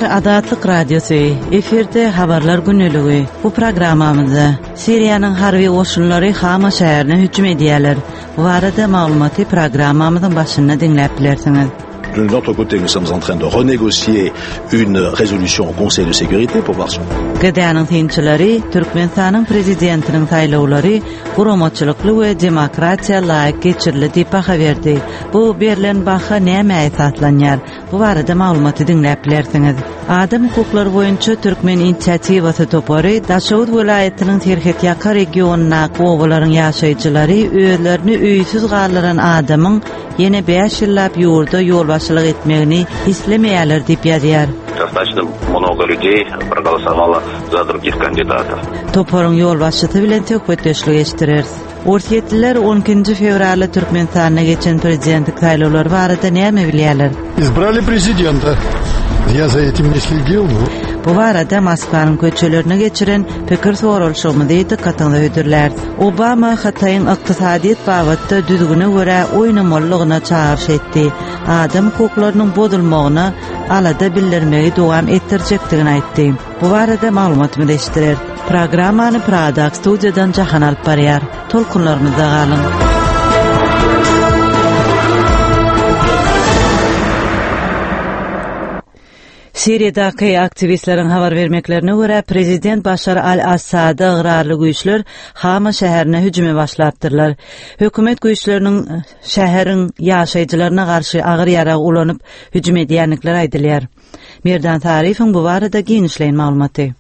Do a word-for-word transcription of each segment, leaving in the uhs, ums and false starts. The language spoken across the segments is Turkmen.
Gepleýär Azatlyk Radiosy, efirde Habarlar gündeligi. Bu programmamyzda Siriýanyň harby goşunlary Hama şäherine hüjüm edýärler. Bu barada maglumaty programmamyzyň başynda diňläp bilersiňiz. De notre côté, nous sommes en train de renégocier une résolution au Conseil de sécurité pour voir si G D Ä-niň synçylary Türkmenistanyň prezidentiniň saýlawlary guramaçylykly we demokratiýa laýyk geçirildi diýip baha berdi. Bu berlen baha nämä esaslanýar? Bu barada maglumaty diňläp bilersiňiz. Adam hukuklary boýunça Türkmen inisiatiwasy topary Daşoguz welaýatynyň Serhetýaka regionyndaky obalaryň ýaşaýjylary özlerini öýsüz galdyran adamyň ýene bäş ýyllap ýurda ýolbaşçylyk etmegini islemeýärler diýip ýazýar. Достаточно много людей проголосовало за других kandidatов. Toparyň ýolbaşçysy bilen söhbetdeşlik eşitdireris. Orsýetliler on ikinji fewralda Türkmenistanda geçen prezidentlik saýlawlary barada näme bilýärler? Избрали prezidenta. Я за этим не следил, но Bu barada Moskwanyň köçelerine geçiren pikir soralyşygymyzy dykgatyňyza hödürläris. Obama Hytaýyň ykdysadyýet babatda düzgüne görä oýnamalygyna çagyryş etdi. Adam hukuklarynyň bozulmagyna alada bildirmegi dowam etdirjekdigini aýtdy. Bu barada maglumatymyzy eşitdirer. Programmany Prada studiýadan Jahan alyp barýar. Tolkunlarymyzda galyň. Siriýadaky aktiwistleriň habar bermeklerine görä, prezident Başar al-Assada ygrarly güýçler Hama şäherine hüjüme başlapdyrlar. Hökümet güýçleriniň şäheriň ýaşaýjylaryna garşy agyr ýarag ulanyp hüjüm edýändikleri aýdylýar. Merdan Saryýewiň bu barada giňişleýin maglumaty.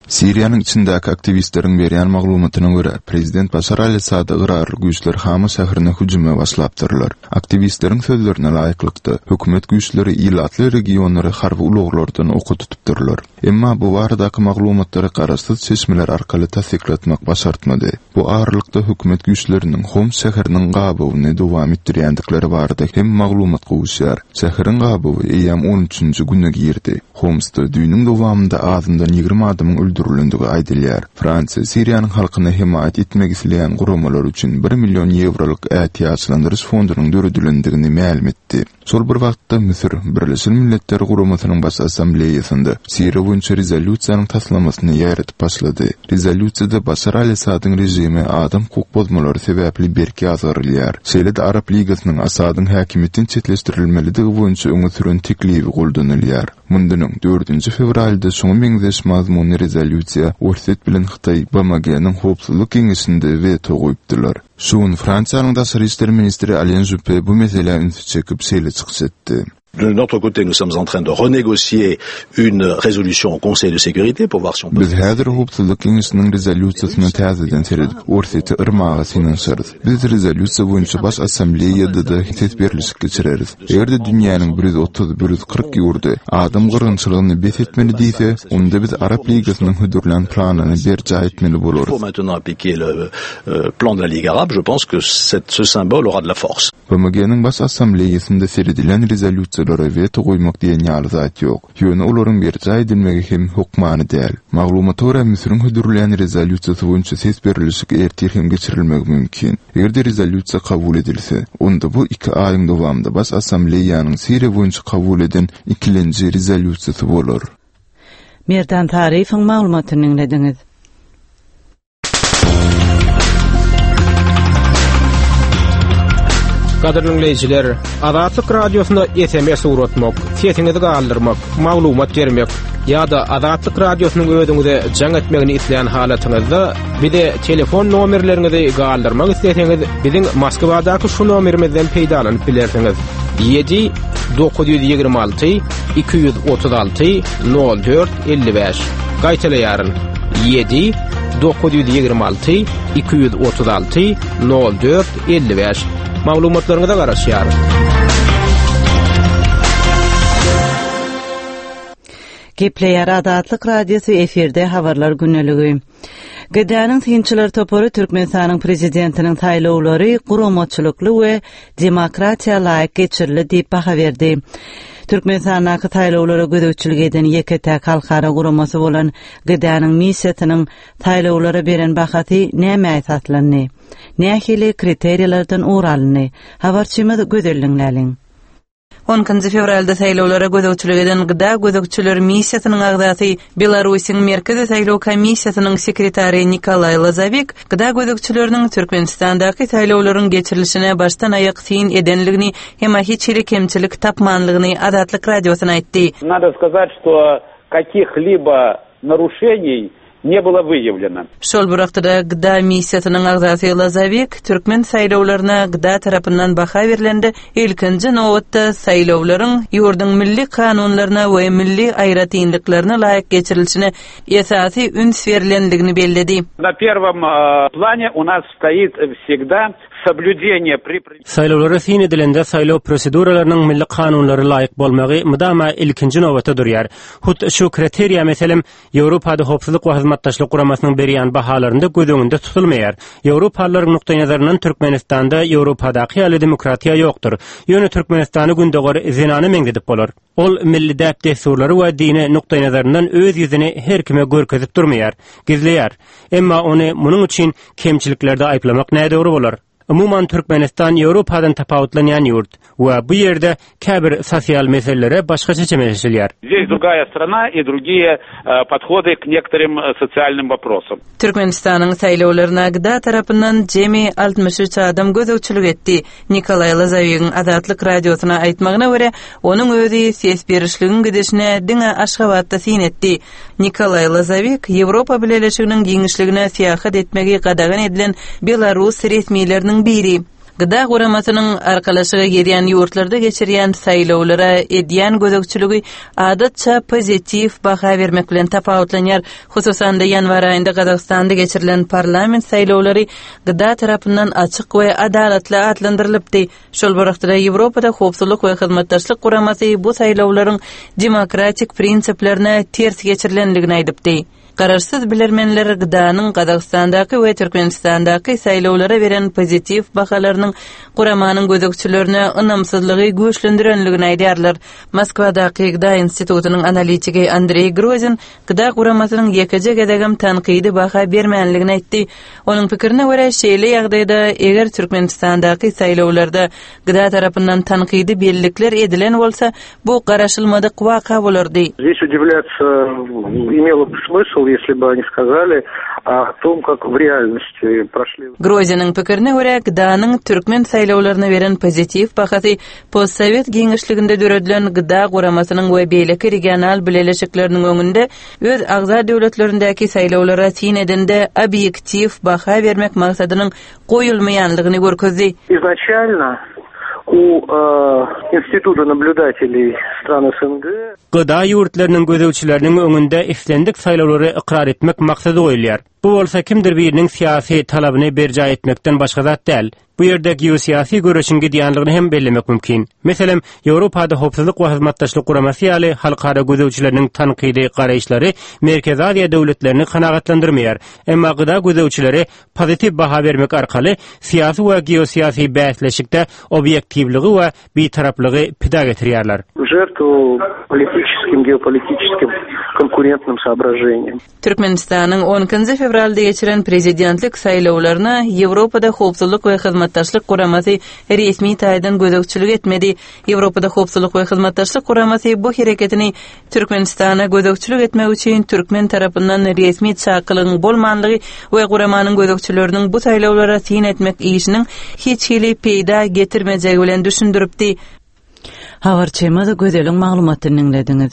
Siriýanyň içindäki aktiwistleriň berýän maglumatyna görä, prezident Başar al-Assada ygrarly güýçler Hama şäherine hüjüme başlapdyrlar. Aktiwistleriň sözlerine laýyklykda, hökümet güýçleri ilatly regionlary harby ulaglardan oka tutupdyrlar. Emma bu baradaky maglumatlary garaşsyz çeşmeler arkaly tassyklatmak başartmady. Bu aralykda hökümet güýçleriniň Homs şäheriniň gabawyny dowam etdirýändikleri barada hem maglumat gowuşýar. Şäheriň gabawy eýýäm on üçünji güne girdi. Homsda düýnüň dowamynda azyndan ýigrimi adamyň öldürilendigi aýdylýar. Fransiýa Siriýanyň halkyna hemaýat etmek isleýän guramalar üçin bir million ýewrolyk ätiýaçlandyryş fondunyň döredilendigini mälim etdi. Şol bir wagtda Müsür Birleşen Milletler Guramasynyň Baş Assambleýasynda Siriýa boýunça rezolýusiýanyň taslamasyny ýaýradyp başlady. Rezolýusiýada Başar al-Assadyň režimi adam hukuk bozmalary sebäpli berk ýazgarylýar. Şeýle-de Arap Ligasynyň Assadyň häkimiýetden çetleşdirilmelidigi boýunça öňe süren teklibi goldanylýar. Mundan öň dördünji fewralda şoňa meňzeş mazmunly rezolýusiýa Orsýet bilen Hytaý B M G-niň howpsuzlyk geňeşinde weto goýupdylar. Şu gün Fransiýanyň daşary işler ministri Alain Juppé bu meselä ünsi çekip şeýle çykyş etdi. De notre côté, nous sommes en train de renégocier une résolution au Conseil de sécurité pour voir si on peut Biz häzir howpsuzlyk geňeşiniň rezolýusiýasyna täzeden seredip, Orsýeti yrmaga synanyşarys. Biz rezolýusiýa boýunça baş assambleýada-da ses berlişik geçireris. Eger-de dünýäniň bir ýüz otuz, bir ýüz kyrk ýurdy adam gyrgynçylygyny bes etmeli diýse, onda biz Arap Ligasynyň hödürlän planyny berjaý etmeli bolarys. Il faut maintenant appliquer le, euh, plan de la Ligue arabe. Je pense que cette, ce symbole aura de la force. B M G-niň baş assambleýasynda seredilen rezolýusiýalara weto goýmak diýen ýaly zat ýok. Ýöne olaryň berjaý edilmegi hem hökmany däl. Maglumata görä Müsüriň hödürlän rezolýusiýasy boýunça ses berlişik ertir hem geçirilmegi mümkin. Eger-de rezolýusiýa kabul edilse, onda bu iki aýyň dowamynda baş assambleýanyň Siriýa boýunça kabul eden ikilenji rezolýusiýasy bolar. Merdan Saryýewiň maglumatyny diňlediňiz. Gadyrly dinleýjiler, Azatlyk Radiosyna S M S uğratmak, sesiňizi galdyrmak, maglumat bermek ýa-da Azatlyk Radiosynyň özüňize jaň etmegini isleýän halatyňyzda bize telefon nomerleriňizi galdyrmak isleseňiz, biziň Moskwadaky şu nomerimizden peýdalanyp bilersiňiz. Ýedi dokuz ýüz ýigrimi alty iki ýüz otuz alty nol dört elli bäş. Gaýtalaýaryn. Ýedi dokuz ýüz ýigrimi alty iki ýüz otuz alty nol dört elli bäş. Maglumatlaryňyza garaşýarys. Gepleýär Azatlyk Radiosy efirde habarlar güneligi. G D Ä-niň synçylar topary Türkmenistanyň prezidentiniň saýlawlary guramaçylykly we demokratiýa laýyk geçirildi diýip baha berdi. Türkmenistandaky saýlawlara gözegçilik eden ýeke-täk halkara guramasy bolan G D Ä-niň missiýasynyň saýlawlara beren bahasy nämä esaslandy? Nähili kriteriýalardan ugur alyndy? Habarçymyz Gözel Diňläliň. On ikinji fewralda saýlawlara gözegçilik eden G D A gözegçiler missiýasynyň agzasy, Belarusyň Merkezi saýlaw komissiýasynyň sekretary Nikolaý Lazawik G D A gözegçileriniň Türkmenistandaky saýlawlaryň geçirilişine başdan aýak syn edenligini hem hiç hili kemçilik tapmanlygyny Azatlyk Radiosyna aýtdy. Надо сказать, что каких-либо нарушений не было выявлено. Şol bir wagtda G D A missiýasynyň agzasy Lazawik türkmen saýlawlaryna G D A tarapyndan baha berlende ilkinji nobatda saýlawlaryň ýurduň milli kanunlaryna we milli aýratynlyklaryna laýyk geçirilişine esasy üns berilendigini belledi. На первом э, плане у нас стоит всегда соблюдение при Saýlawlara syn edilende saýlaw proseduralarynyň milli kanunlara laýyk bolmagy mydama ilkinji nobatda durýar. Hut şu kriteriýa, meselem, Ýewropada Howpsuzlyk we Hyzmatdaşlyk Guramasynyň berýän bahalarynda göz öňünde tutulmaýar. Ýewropalylaryň nukdaý nazaryndan Türkmenistanda Ýewropadaky ýaly demokratiýa ýokdur. Ýöne Türkmenistany gündogar zenana meňzedip bolar. Ol milli däp dessurlary we dini nukdaý nazaryndan öz ýüzüni her kime görkezip durmaýar, gizleýär. Emma ony munuň üçin kemçiliklerde aýyplamak nädogry bolar. Umuman, Türkmenistan Ýewropadan tapawutlanýan ýurt we bu ýerde käbir sosial meselelere başgaça çemeleşilýär. Здесь другая страна и другие э, подходы к некоторым э, социальным вопросам. Türkmenistanyň saýlawlaryna G D A tarapyndan jemi altmyş üç adam gözegçilik etdi. Nikolaý Lazawigiň Azatlyk Radiosyna aýtmagyna görä, onuň özi ses berişligiň gidişine diňe Aşgabatda syn etdi. Nikolaý Lazawik Ýewropa Bileleşiginiň giňişligine syýahat etmegi gadagan edilen Belarus resmileriniň biri. G D A guramasynyň arkalaşyga girýän ýurtlarda geçirýän saýlawlara edýän gözegçiligi adatça pozitiw baha bermek bilen tapawutlanýar. Hususan-da, ýanwar aýynda Gazagystanda geçirilen parlament saýlawlary G D A tarapyndan açyk we adalatly atlandyrylypdy. Şol bir wagtda Ýewropada Howpsuzlyk we Hyzmatdaşlyk Guramasy bu saýlawlaryň demokratik prinsiplerine ters geçirilendigini aýdypdy. Garaşsyz bilermenler G D A'nyň Gazagystandaky we Türkmenistandaky saýlawlara beren pozitiw bahalarynyň guramanyň gözegçilerine ynamsyzlygy güýçlendirendigini aýdýarlar. Moskwadaky G D A institutynyň analitiki Andrei Grozin G D A guramasynyň ýekeje gezegem tankydy baha bermänligini aýtdy. Onuň pikirine görä, şeýle ýagdaýda eger Türkmenistandaky saýlawlarda G D A tarapyndan tankydy bellikler edilen bolsa, bu garaşylmadyk waka bolardy. Здесь удивляться имело бы смысл, если бы они сказали о том, как в реальности прошли. Groziniň pikirine görä, G D A'nyň türkmen saýlawlaryna beren pozitiw bahasy postsowet giňişliginde döredilen G D A guramasynyň we beýleki regional bileleşikleriniň öňünde öz agza döwletlerindäki saýlawlara syn edende obýektiw baha bermek maksadynyň goýulmaýanlygyny görkezdi. Изначально у э, Института наблюдателей стран С Н Г G D A ýurtlarynyň gözegçileriniň öňünde islendik saýlawlary ykrar etmek maksady goýulýar. Bu bolsa kimdir biriniň syýasy talabyny berjaý etmekden başga zat däl. Bu ýerde geosyýasy göreşiň gidýänligini hem bellemek mümkin. Meselem, Ýewropada Howpsuzlyk we Hyzmatdaşlyk Guramasy ýaly halkara gözegçileriniň tankydy garaýyşlary Merkezi Aziýa döwletlerini kanagatlandyrmaýar. Emma G D A gözegçileri pozitiw baha bermek arkaly syýasy we geosyýasy bäsleşikde obýektiwligi we bitaraplygy pida getirýärler. в жертву политическим, геополитическим конкурентным соображениям. Türkmenistanyň on ikinji fewralda geçiren prezidentlik saýlawlaryna Ýewropada Howpsuzlyk we Hyzmatdaşlyk Guramasy resmi taýdan gözegçilik etmedi. Ýewropada Howpsuzlyk we Hyzmatdaşlyk Guramasy bu hereketini Türkmenistana gözegçilik etmek üçin türkmen tarapyndan resmi çakylygyň bolmanlygy we guramanyň gözegçileriniň bu saýlawlara syn etmek işiniň hiç hili peýda getirmejegi bilen düşündiripdi. Habarçymyz Gözeliň maglumatyny diňlediňiz.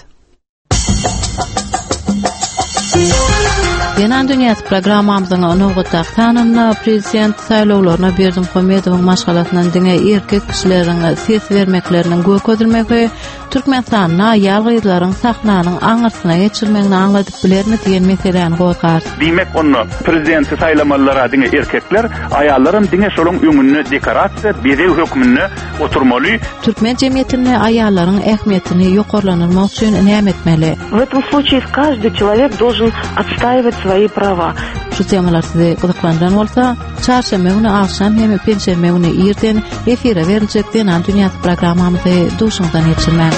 Zenan Dünýäsi programmamyzyň nobatdaky sanynda prezident saýlawlaryna Berdimuhamedowyň maşgalasyndan diňe erkek kişileriň ses bermekleriniň görkezilmegi Türkmenistanda aýal gyzlaryň sahnanyň aňyrsyna geçirmegini aňladyp bilermi diýen meseläni gozgar. Diýmek, onda prezidenti saýlamalylara diňe erkekler, aýallaram diňe şonuň öňünde dekorasiýa, bezeg hökmünde oturmaly. Türkmen jemgyýetinde aýallaryň ähmiýetini ýokarlandyrmak üçin näme etmeli? В этом случае каждый человек должен отстаивать свои права. Şu temalar sizi gyzyklandyran bolsa, çarşenbe güni agşam hem penşenbe güni irden efire beriljek Zenan Dünýäsi programmamyzy duşuňdan geçirmäň.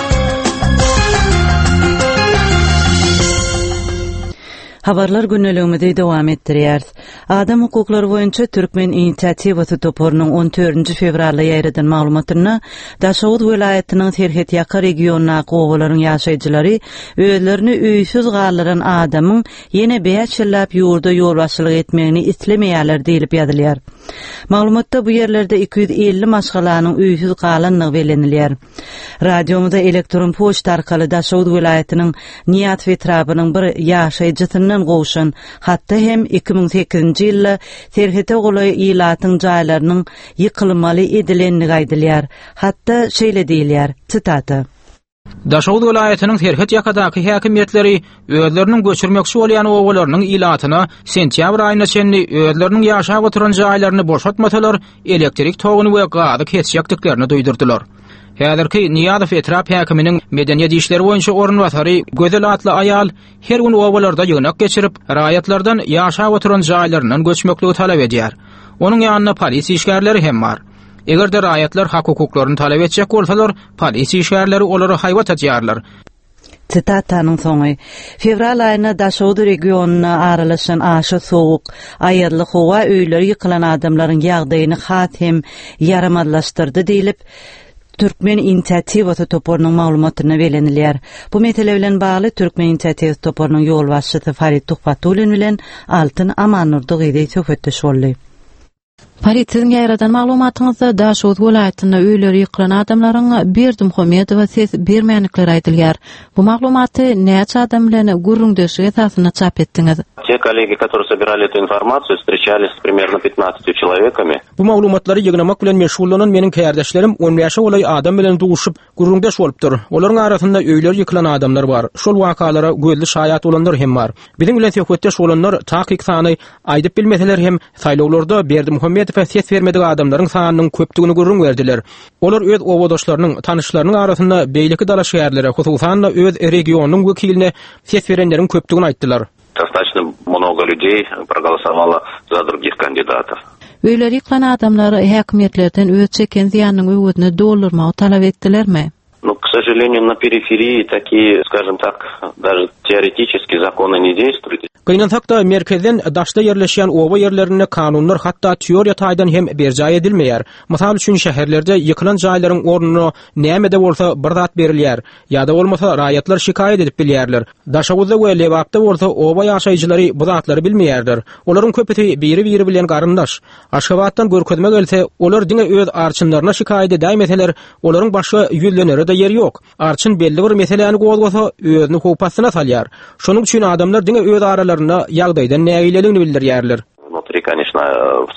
Habarlar gündeligimizi dowam etdirýäris. Adam hukuklary boýunça Türkmen inisiatiwasy toparynyň on dördünji fewralda ýaýradan maglumatynda Daşoguz welaýatynyň Serhetýaka regionyndaky obalaryň ýaşaýjylary özlerini öýsüz galdyran adamyň ýene bäş ýyllap ýurda ýolbaşçylyk etmegini islemeýärler diýlip ýazylýar. Maglumatda bu ýerlerde iki ýüz elli maşgalanyň öýsüz galandygy bellenilýär. Radiomyza elektron poçta arkaly Daşoguz welaýatynyň Niýazow etrabynyň bir ýaşaýjysyndan gowşan hatda hem iki müň sekizinji ýylda serhete golaý ilatyň jaýlarynyň ýykylmaly edilendigi aýdylýar. Hatda şeýle diýilýär, sitata. Daşoguz welaýatynyň serhet ýakadaky häkimiýetleri özleriniň göçürmekçi bolýan obalarynyň ilatyna sentýabr aýyna çenli özleriniň ýaşap oturan jaýlaryny boşatmasalar, elektrik toguny we gazy kesjekdiklerini duýdurdylar. Häzirki Niýazow etrap häkiminiň medeniýet işleri boýunça orunbasary Gözel atly aýal her gün obalarda ýygnak geçirip, raýatlardan ýaşap oturan jaýlaryndan göçmekligi talap edýär. Onuň ýanynda polis işgärleri hem bar. Eger-de raýatlar hak hukuklaryny talap etjek bolsalar, polis işgärleri olara haýbat atýarlar. Sitatanyň soňy. Fewral aýynda Daşoguz regionyna aralaşan aşa sowuk, aýazly howa öýleri ýykylan adamlaryň ýagdaýyny has hem ýaramazlaşdyrdy diýlip, Türkmen inisiatiwasy toparynyň maglumatyna belenilýär. Bu mesele bilen bagly Türkmen inisiatiwasy toparynyň ýolbaşçysy Farid Tuhbatullin bilen Altyn Amannurdy gyzy söhbetdeş boldy. Farid, siziň ýaýradan maglumatyňyzda Daşoguz welaýatynda öýleri ýykylan adamlaryň Berdimuhamedowa ses bermänlikleri aýdylýar. Bu maglumaty näçe adam bilen gürrüňdeşlik esasynda çap etdiňiz? Те коллеги, которые собирали эту информацию, встречались с примерно пятнадцатью человеками. Bu maglumatlary ýygnamak bilen meşgullanan meniň kärdeşlerim on bäşe golaý adam bilen duşup gürrüňdeş bolupdyr. Olaryň arasynda öýleri ýykylan adamlar bar. Şol wakalara gözli şaýat bolanlar hem bar. Biziň bilen söhbetdeş bolanlar takyk sany aýdyp bilmeseler hem saýlawlarda Berdimuhamedowa ses bermedik adamlaryň sanynyň köpdügini gürrüň berdiler. Olar öz obadaşlarynyň, tanyşlarynyň arasynda beýleki dalaşgärlere, hususan-da öz regionynyň wekiline ses berenleriň köpdügini aýtdylar. Достаточно много людей проголосовало за других кандидатов. Öýleri ýykylan adamlar häkimiýetlerden öz çeken zyýanynyň öwezini doldurmagy talap etdilermi? Ну, к сожалению, на периферии такие, скажем так, даже теоретически законы не действуют. Gynansak-da merkezden daşda ýerleşýän oba ýerlerinde kanunlar hatda teoriýa taýdan hem berjaý edilmeýär. Mysal üçin şäherlerde ýykylan jaýlaryň ornuna näme-de bolsa bir zat berilýär ýa-da bolmasa raýatlar şikaýat edip bilýärler. Daşoguzda we Lebapda bolsa oba ýaşaýjylary bu zatlary bilmeýärler. Olaryň köpüsi biri-biri bilen garyndaş. Aşgabatdan görkezme gelse, olar diňe öz arçynlaryna şikaýat edäýmeseler, olaryň başga ýüzlenere de ýeri ýok. Arçyn belli bir meseläni gozgasa, özüni howp astyna salýar. Şonuň üçin adamlar diňe öz aralarynda ýagdaýdan nägileligini bildirýärler. Внутри, конечно,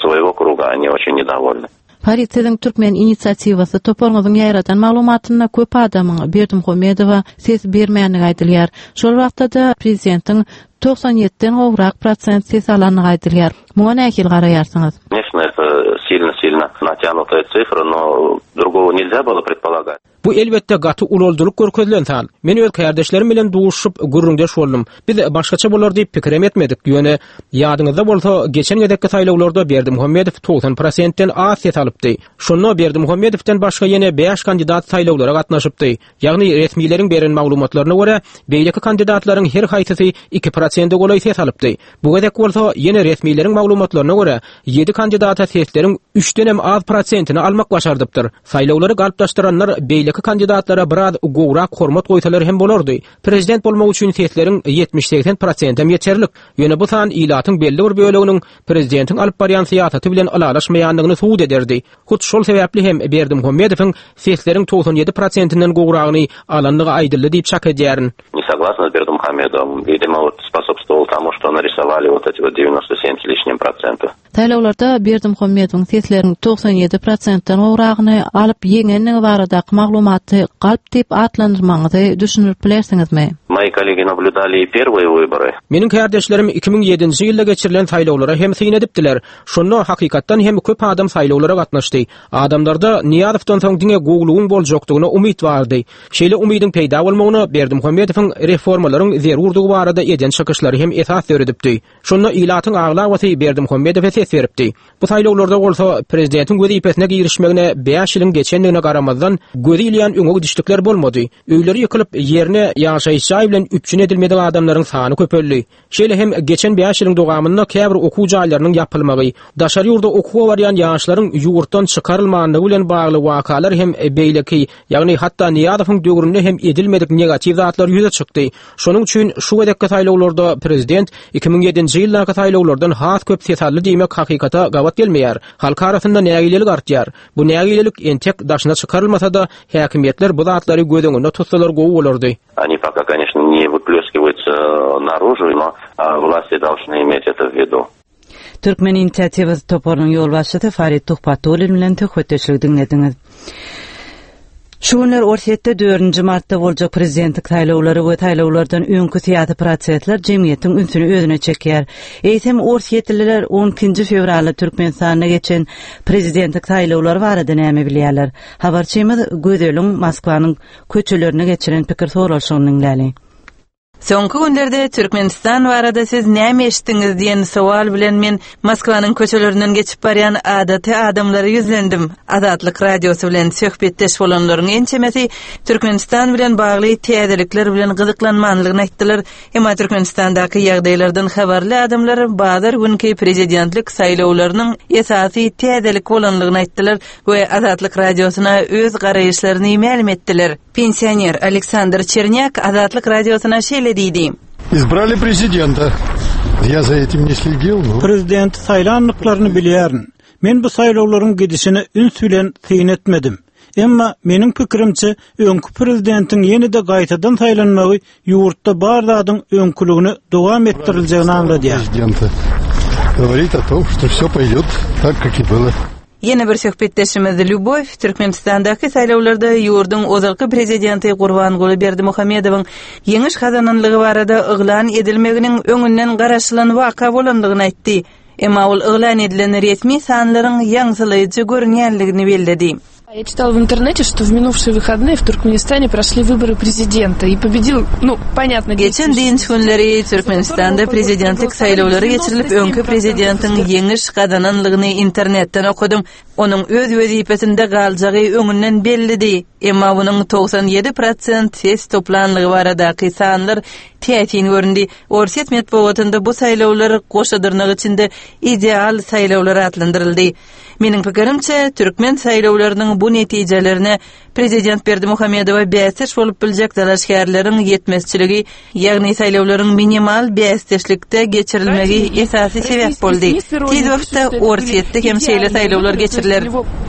своего круга они очень недовольны. Farid, siziň Türkmen inisiatiwasy toparyňyzyň ýaýradan maglumatynda köp adamyň Berdimuhamedowa ses bermänligi aýdylýar. Şol wagtda-da prezidentiň togsan ýediden gowrak prosent ses alandygy aýdylýar. Muňa nähili garaýarsyňyz? Конечно, это сильно-сильно натянутая цифра, но другого нельзя было предполагать. Bu elbetde gaty ululdylyk görkezilen san. Men öz kärdeşlerim bilen duşup gürrüňdeş boldum. Biz başgaça bolar diýip pikir etmedik. Ýöne ýadyňyzda bolsa geçen gezekki saýlawlarda Berdimuhamedow togsan prosentden az ses alypdy. Şonda Berdimuhamedowdan başga ýene bäş kandidat saýlawlara gatnaşypdy. Ýagny resmileriň beren maglumatlaryna görä beýleki kandidatlaryň her haýsysy iki prosente golaý ses alypdy. Bu gezek bolsa ýene resmileriň maglumatlaryna görä ýedi kandidata sesleriň üçden hem az prosentini almak başardypdyr. Saýlawlary galplaşdyranlar beýleki kandidatlara biraz gowrak hormat goýsalar hem bolardy. Prezident bolmak üçin sesleriň ýetmiş segsen prosentem ýeterlik. Ýöne bu san ilatyň belli bir böleginiň prezidentiň alyp barýan syýasaty bilen ylalaşmaýandygyny subut ederdi. Hut şol sebäpli hem Berdimuhamedowyň sesleriň togsan ýedi prosentinden gowragyny alandygy aýdyldy diýip çak edýärin. Не согласна с Бердымухамедовым, видимо, вот способствовал тому, что нарисовали вот эти вот девяносто семь с лишним процентов. Saýlawlarda Berdimuhamedowyň sesleriň togsan ýedi prosentden gowragyny alyp ýeňenligi baradaky maglumaty galp diýip atlandyrmagyňyzy düşündirip bilersiňizmi? Мои коллеги наблюдали и первые выборы. Meniň kärdeşlerim iki müň ýedinji ýylda geçirilen saýlawlara hem syn edipdiler. Şonda hakykatdan hem köp adam saýlawlara gatnaşdy. Adamlarda Niýazowdan soň diňe gowlugyň boljakdygyna umyt bardy. Şeýle umydyň peýda bolmagyna Berdimuhamedowyň reformalaryň zerurdygy barada eden çykyşlary hem esas döredipdi. Şonda ilatyň aglabasy Berdimuhamedowa ses beripdi. Bu saýlawlarda bolsa prezidentiň wezipesine girişmegine bäş ýylyň geçendigine garamazdan gözi ilýän öňe gidişlikler bolmady. Öýleri ýykylyp ýerine ýaşaýyş jaý bilen üpjün edilmedik adamlaryň sany köpeldi. Şeýle hem geçen bäş ýylyň dowamynda käbir okuw jaýlarynyň ýapylmagy, daşary ýurda okuwa barýan ýaşlaryň ýurtdan çykarylmanlygy bilen bagly wakalar hem beýleki, ýagny hatda Niýazowyň döwründe hem edilmedik negatiw zatlar ýüze çykdy. Şonuň üçin şu gezekki saýlawlarda prezident iki müň ýedinji ýyldaky saýlawlardan has köp ses aldy diýmek hakykata gabat gelmeýär. Halk arasynda nägilelik artýar. Bu nägilelik entek daşyna çykarylmasa-da häkimiýetler bu zatlary göz öňünde tutsalar gowy bolardy. Они пока, конечно, не выплескиваются наружу, но власти должны иметь это в виду. Türkmen inisiatiwasy toparynyň ýolbaşçysy Farid Tuhbatullin bilen söhbetdeşlik diňlediňiz. Şu günler Orsýetde dördünji martda boljak prezidentlik saýlawlary we saýlawlardan öňki syýasy prosesler jemgyýetiň ünsüni özüne çekýär. Eýsem Orsýetliler on ikinji fewralda Türkmenistanda geçen prezidentlik saýlawlary barada näme bilýärler? Habarçymyz Gözeliň Moskwanyň köçelerine geçiren pikir soralyşygyny diňläli. Soňky günlerde Türkmenistan barada siz näme eşitdiňiz diýen sowal bilen men Moskwanyň köçelerinden geçip barýan adaty adamlara ýüzlendim. Azatlyk radiosy bilen söhbetdeş bolanlaryň ençemesi Türkmenistan bilen bagly täzelikler bilen gyzyklanmanlygyny aýtdylar. Emma Türkmenistandaky ýagdaýlardan habarly adamlar bazar günki prezidentlik saýlawlarynyň esasy täzelik bolanlygyny aýtdylar we Azatlyk radiosyna öz garaýyşlaryny mälim etdiler. Pensioner Aleksandr Çernyak Azatlyk radiosyna şeýle diýdi. Избрали президента. Я за этим не следил, но Prezident saýlanlyklaryny bilýärin. Men bu saýlawlaryň gidişine üns bilen syn etmedim. Emma meniň pikirimçe öňki prezidentiň ýene-de gaýtadan saýlanmagy ýurtda bar zadyň öňküligini dowam etdiriljegini aňladýar. Президента говорит о том, что все пойдет так, как и было. Ýene bir söhbetdeşimiz Lýubow Türkmenistandaky saýlawlarda ýurduň ozalky prezidenti Gurbanguly Berdimuhamedowyň ýeňiş gazananlygy barada yglan edilmeginiň öňünden garaşylan waka bolandygyny aýtdy. Emma ol yglan edilen resmi sanlaryň ýaňsylaýjy görünýänligini belledi. Я читала в интернете, что в минувшие выходные в Туркменистане прошли выборы президента и победил, ну, понятно, Geçen dynç günleri Türkmenistanda prezidentlik saýlawlary geçirilip, öňki prezidentiň ýeňiş gazananlygyny internetden okudym. Onuň öz wezipesinde galjagy öňünden bellidi. Emma onuň togsan ýedi prosent ses toplanlygy baradaky sanlar täsin göründi. Orsýet metbugatynda bu saýlawlar goşadyrnak içinde ideal saýlawlar atlandyryldy. Meniň pikirimçe, türkmen saýlawlarynyň bu netijelerine prezident Berdimuhamedowa bäsdeş bolup biljek dalaşgärleriň ýetmezçiligi, ýagny saýlawlaryň minimal bäsdeşlikde geçirilmegi esasy sebäp boldy. Tez wagtda Orsýetde hem şeýle saýlawlar geçiriler.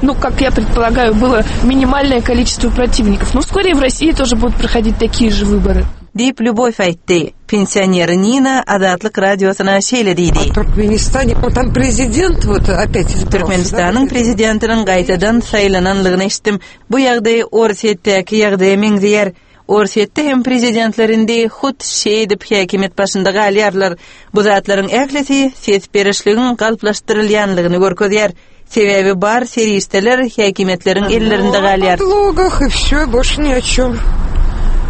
Ну, как я предполагаю, было минимальное количество противников. Но вскоре в России тоже будут проходить такие же выборы. Diýip Lýubow aýtdy. Pensioner Nina Azatlyk radiosyna şeýle diýdi. Türkmenistане, ну, там президент вот опять избрался, Türkmenistanyň prezidentiniň gaýtadan saýlananlygyny eşitdim. Bu ýagdaý Orsýetdäki ýagdaýa meňzeýär. Orsýetde hem prezidentlerinde hut şeýdip häkimiýet başynda galýarlar. Bu zatlaryň ählisi ses berişligiň galplaşdyrylýanlygyny görkezýär. Sebäbi bar serişdeler häkimiýetleriň ellerinde galýar. В подлогах и все, больше ни о чем.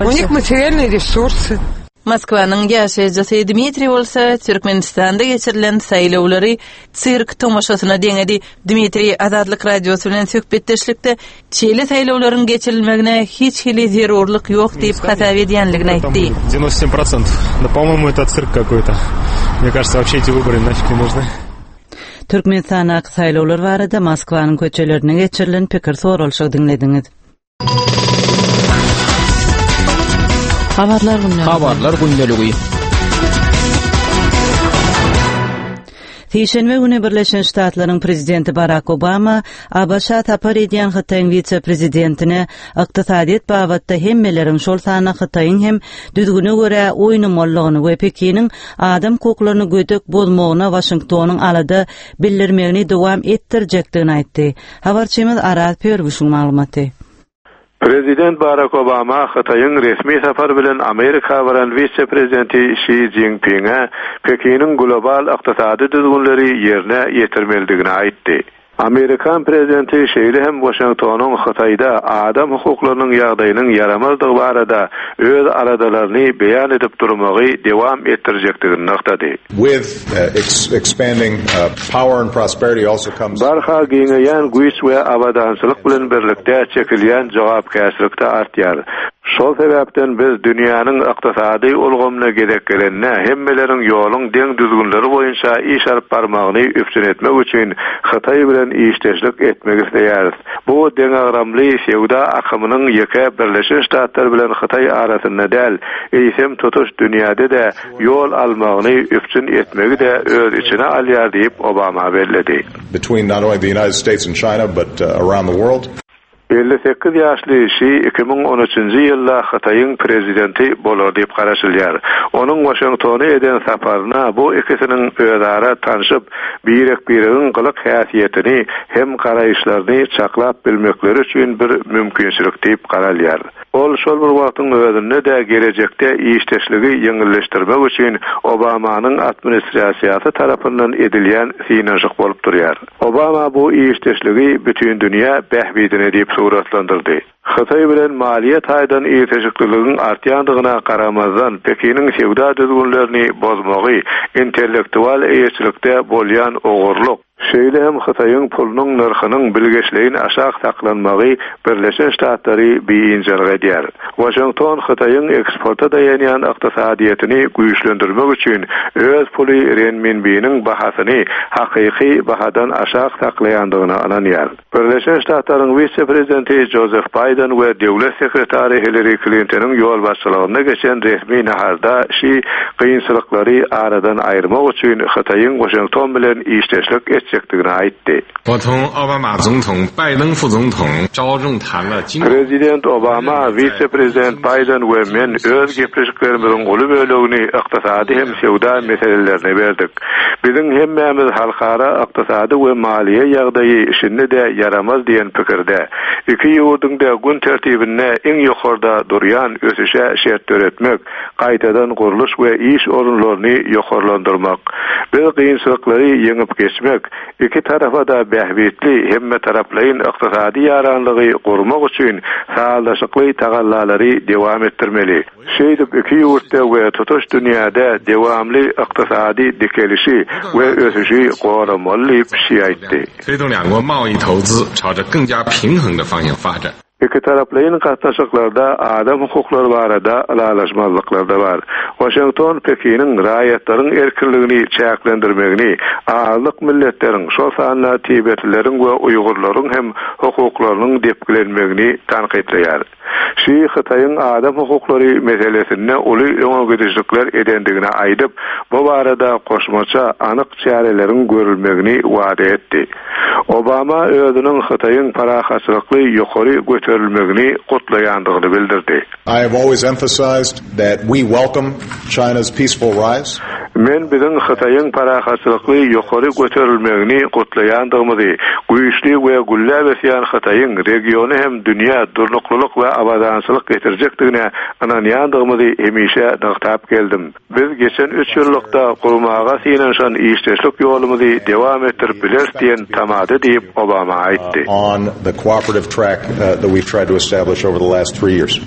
У них материальные ресурсы. Moskwanyň ýaşaýjysy Dmitriý bolsa Türkmenistanda geçirilen saýlawlary sirk tomaşasyna deňedi. Dmitriý Azatlyk radiosy bilen söhbetdeşlikde şeýle saýlawlaryň geçirilmegine hiç hili zerurlyk ýok diýip hasap edýänligini aýtdy. девяносто семь процентов. Да, по-моему, это цирк какой-то. Мне кажется, вообще эти выборы нафиг не нужны. Türkmenistandaky saýlawlar barada Moskwanyň köçelerine geçirilen pikir soralyşygy diňlediňiz. Habarlar gündeligi. Habarlar gündeligi. Sişenbe günü Birleşen Ştatlaryň prezidenti Barack Obama A B Ş-a sapar edýän Hytaýyň wise-prezidentine ykdysadyýet babatda hemmeleriň şol sanda Hytaýyň hem düzgüne görä oýnamallygyny we Pekiniň adam hukuklaryny gödek bozmagyna Washingtonyň alada bildirmegini dowam etdirjekdigini aýtdy. Habarçymyz Araz Pörgüşiň maglumaty. Prezident Barack Obama Hytaýyň resmi sapar bilen Amerika baran wise-prezidenti Xi Jinping'e Pekiniň global ykdysady düzgünleri ýerine ýetirmelidigini aýtdy. Amerikan prezidenti şeýle hem Waşingtonyň Hytaýda adam hukuklarynyň ýagdaýynyň ýaramazdygy barada öz aladalaryny beýan edip durmagy dowam etdirjekdigini nygtady. With uh, expanding uh, power and prosperity also comes Barha giňeýän güýç we abadançylyk bilen birlikde çekilýän jogapkärçilik-de artýar. Şol sebäpden biz dünýäniň ykdysady ulgamyna gezek gelende hemmeleriň ýoluň deň düzgünleri boýunça iş alyp barmagyny üpjün etmek üçin Hytaý bilen işdeşlik etmek isleýäris. Bu deňagramly söwda akymynyň ýeke Birleşen Ştatlar bilen Hytaý arasynda däl, eýsem tutuş dünýäde-de ýol almagyny üpjün etmegi-de öz içine alýar diýip Obama belledi. between not only the United States and China but uh, around the world. Elli sekiz ýaşly Şi iki müň on üçünji ýylda Hytaýyň prezidenti bolar diýip garaşylýar. Onuň Waşingtona eden saparyna bu ikisiniň özara tanşyp, birek-biregiň gylyk häsiýetini hem garaýyşlaryny çaklap bilmekleri üçin bir mümkinçilik diýip garalýar. Ol şol bir wagtyň özünde-de gelejekde işdeşligi ýeňilleşdirmek üçin Obamanyň administrasiýasy tarapyndan edilýän synanyşyk bolup durýar. Obama bu işdeşligi bütün dünýä bähbidine diýip suratlandyrdy. Hytaý bilen maliýe taýdan ilteşikliligiň artýandygyna garamazdan Pekiniň söwda düzgünlerini bozmagy, intellektual eýeçilikde bolýan ogurlyk, şeýle hem Hytaýyň pulunyň nyrhynyň bilgeşleýin aşak saklanmagy Birleşen Ştatlary biynjalyk edýär. Waşington Hytaýyň eksporta daýanýan ykdysadyýetini güýçlendirmek üçin öz puly renminbiniň bahasyny hakyky bahadan aşak saklaýandygyna ynanýar. Birleşen Ştatlaryň wise-prezidenti Joseph Biden we döwlet sekretary Hillary Clintonyň ýolbaşçylygynda geçen resmi naharda Şi kynçylyklary aradan aýyrmak üçin Hytaýyň Waşington bilen işdeşlik etjekdigini aýtdy. 我同奥巴马总统、拜登副总统着重谈了经 Prezident Obama, wise-prezident Biden we men öz gepleşiklerimiziň uly bölegini ykdysady hem söwda meselelerine berdik. Biziň hemmämiz halkara ykdysady we maliýe ýagdaýy şindi-de ýaramaz diýen pikirde. Iki ýurduň-da gün tertibinde iň ýokarda durýan ösüşe şert döretmek, gaýtadan gurluş we iş orunlaryny ýokarlandyrmak. Biz kynçylyklary ýeňip geçmek, iki tarafa da bähbitli hemme taraplaýyn ykdysady ýaranlygy gurmak üçin sazlaşykly tagallalary dowam etdirmeli. Şeýdip iki ýurtda we tutuş dünýäde dowamly ykdysady dikelişi we ösüşi goramaly diýip Şi aýtdy. 推动两国贸易投资朝着更加平衡的方向发展。 Iki taraplaýyn gatnaşyklarda adam hukuklary barada ylalaşmazlyklar-da bar. Waşington Pekiniň raýatlaryň erkinligini çäklendirmegini, azlyk milletleriň, şol sanda Tibetlileriň we Uýgurlaryň hem hukuklarynyň depgilenmegini tankytlaýar. Şi Hytaýyň adam hukuklary meselesinde uly öňe gidişlikler edendigini aýdyp, bu barada goşmaça anyk çäreleriň görülmegini wada etdi. Obama özüniň Hytaýyň parahatçylykly ýokary göterilmegini gutlaýandygyny bildirdi. I have always emphasized that we welcome China's peaceful rise. Men biziň Hytaýyň parahatçylykly ýokary göterilmegini gutlaýandygymyzy, güýçli we gülläp ösýän Hytaýyň regiony hem dünýä durnuklylyk we abadançylyk getirjekdigine ynanýandygymyzy hemişe nygtap geldim. Biz geçen üç ýyllykda gurmaga synanyşan işdeşlik ýolumyzy dowam etdirip bileris diýen tamada diýip Obama aýtdy. On the cooperative track uh, that we've tried to establish over the last three years.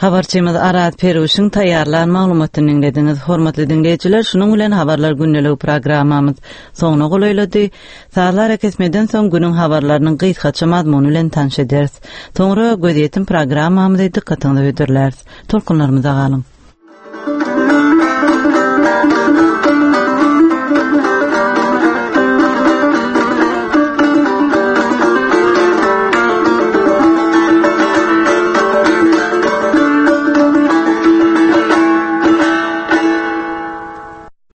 Habarçymyz Arat Peruşyň taýýarlan maglumatyny diňlediňiz. Hormatly diňleýjiler, şunuň bilen habarlar gündelik programmamyz soňuna golaýlady. Sazlar kesmeden soň günüň habarlarynyň gysgaça mazmuny bilen tanyş ederis. Soňra gözýetim programmamyzy dykgatyňyza hödürläris. Tolkunlarymyza galyň.